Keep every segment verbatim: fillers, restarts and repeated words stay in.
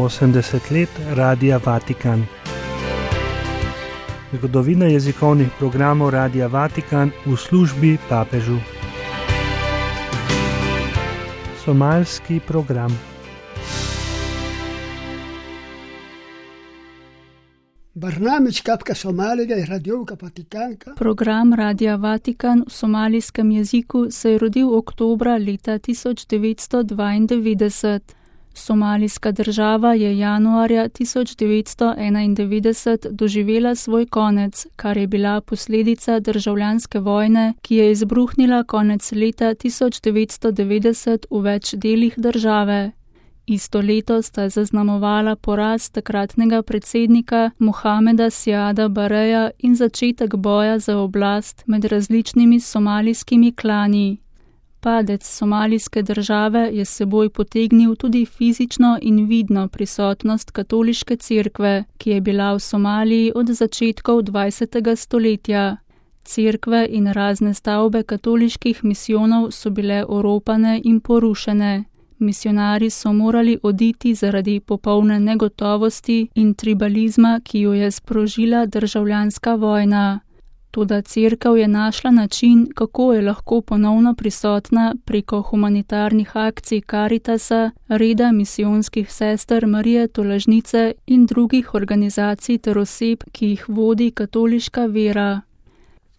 osemdeset let Radia Vatikan. Zgodovina jezikovnih programov Radia Vatikan v službi papežu. Somalski program. Program Radia Vatikan v somalijskem jeziku se je rodil oktobra leta tisoč devetsto dvaindevetdeset. Somalijska država je januarja tisoč devetsto enaindevetdeset doživela svoj konec, kar je bila posledica državljanske vojne, ki je izbruhnila konec leta tisoč devetsto devetdeset v več delih države. Isto leto sta zaznamovala poraz takratnega predsednika Mohameda Siada Bareja in začetek boja za oblast med različnimi somalijskimi klani. Padec somalijske države je s seboj potegnil tudi fizično in vidno prisotnost katoliške cerkve, ki je bila v Somaliji od začetkov dvajsetega stoletja. Cerkve in razne stavbe katoliških misijonov so bile oropane in porušene. Misionarji so morali oditi zaradi popolne negotovosti in tribalizma, ki jo je sprožila državljanska vojna. Toda cerkev je našla način, kako je lahko ponovno prisotna preko humanitarnih akcij Karitasa, reda misijonskih sester Marije Tolažnice in drugih organizacij ter oseb, ki jih vodi katoliška vera.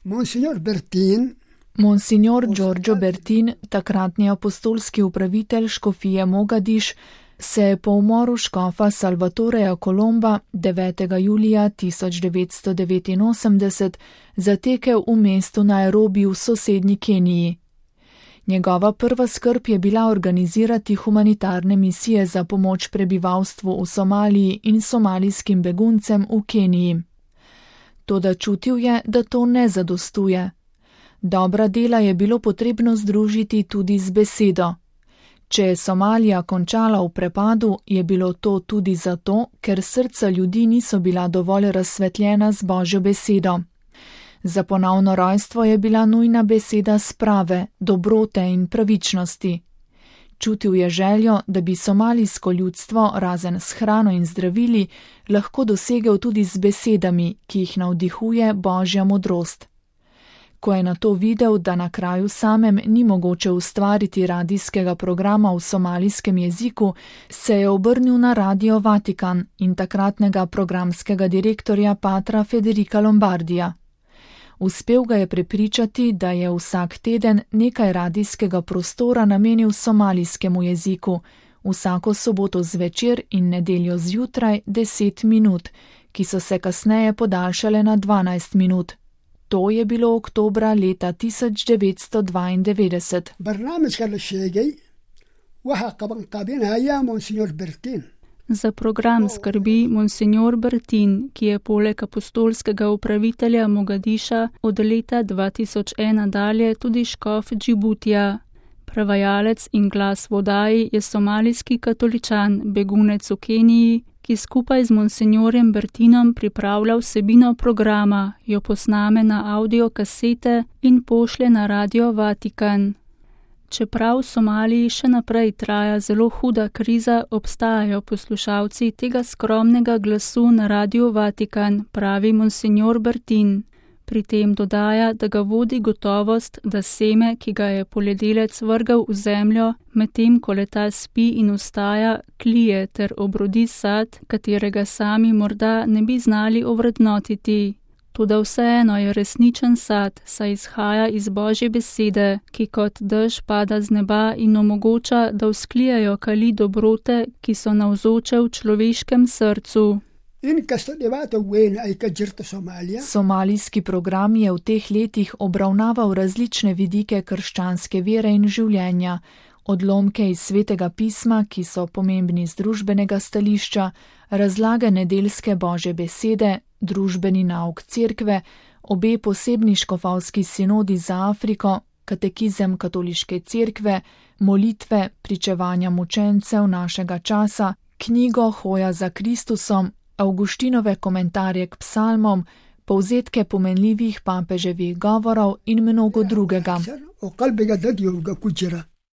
Monsignor Bertin, Monsignor Giorgio Bertin, takratni apostolski upravitelj škofije Mogadiš, se je po umoru škofa Salvatoreja Kolomba devetega julija tisoč devetsto devetinosemdeset zatekel v mestu Nairobi v sosednji Keniji. Njegova prva skrb je bila organizirati humanitarne misije za pomoč prebivalstvu v Somaliji in somalijskim beguncem v Keniji. Toda čutil je, da to ne zadostuje. Dobra dela je bilo potrebno združiti tudi z besedo. Če je Somalija končala v prepadu, je bilo to tudi zato, ker srca ljudi niso bila dovolj razsvetljena z Božjo besedo. Za ponovno rojstvo je bila nujna beseda sprave, dobrote in pravičnosti. Čutil je željo, da bi somalijsko ljudstvo, razen s hrano in zdravili, lahko dosegel tudi z besedami, ki jih navdihuje Božja modrost. Ko je na to videl, da na kraju samem ni mogoče ustvariti radijskega programa v somalijskem jeziku, se je obrnil na Radio Vatikan in takratnega programskega direktorja patra Federica Lombardija. Uspel ga je prepričati, da je vsak teden nekaj radijskega prostora namenil somalijskemu jeziku, vsako soboto zvečer in nedeljo zjutraj deset minut, ki so se kasneje podaljšale na dvanajst minut. To je bilo oktobra leta tisoč devetsto dvaindevetdeset. Za program skrbi Monsignor Bertin, ki je poleg apostolskega upravitelja Mogadiša od leta dva tisoč ena dalje tudi škof Džibutija. Prevajalec in glas v oddaji je somalijski katoličan, begunec v Keniji, ki skupaj z monsignorjem Bertinom pripravlja vsebino programa, jo posname na audio kasete in pošlje na Radio Vatikan. Čeprav v Somaliji še naprej traja zelo huda kriza, obstajajo poslušalci tega skromnega glasu na Radio Vatikan, pravi monsignor Bertin. Pri tem dodaja, da ga vodi gotovost, da seme, ki ga je poljedelec vrgal v zemljo, medtem ko leta spi in vstaja, klije ter obrodi sad, katerega sami morda ne bi znali ovrednotiti. Toda vseeno je resničen sad, saj izhaja iz Božje besede, ki kot dež pada z neba in omogoča, da vzklijajo kali dobrote, ki so navzoče v človeškem srcu. Somalijski program je v teh letih obravnaval različne vidike krščanske vere in življenja, odlomke iz svetega pisma, ki so pomembni z družbenega stališča, razlage nedeljske Božje besede, družbeni nauk cerkve, obe posebni škofovski sinodi za Afriko, katekizem katoliške cerkve, molitve, pričevanja mučencev našega časa, knjigo Hoja za Kristusom, Avguštinove komentarje k psalmom, povzetke pomenljivih papeževih govorov in mnogo drugega.